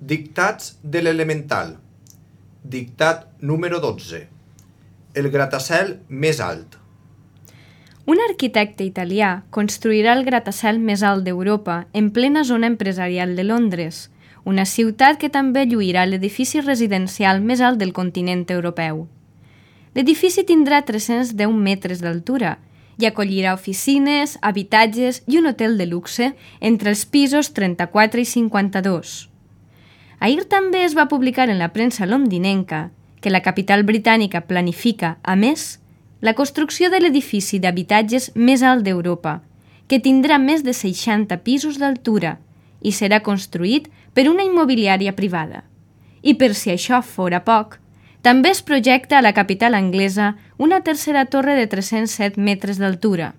Dictats de l'elemental. Dictat número 12. El gratacel més alt. Un arquitecte italià construirà el gratacel més alt d'Europa en plena zona empresarial de Londres, una ciutat que també lluirà l'edifici residencial més alt del continent europeu. L'edifici tindrà 310 metres d'altura i acollirà oficines, habitatges i un hotel de luxe entre els pisos 34 i 52. Ahir també es va publicar en la premsa londinenca que la capital britànica planifica, a més, la construcció de l'edifici d'habitatges més alt d'Europa, que tindrà més de 60 pisos d'altura i serà construït per una immobiliària privada. I per si això fora poc, també es projecta a la capital anglesa una tercera torre de 307 metres d'altura.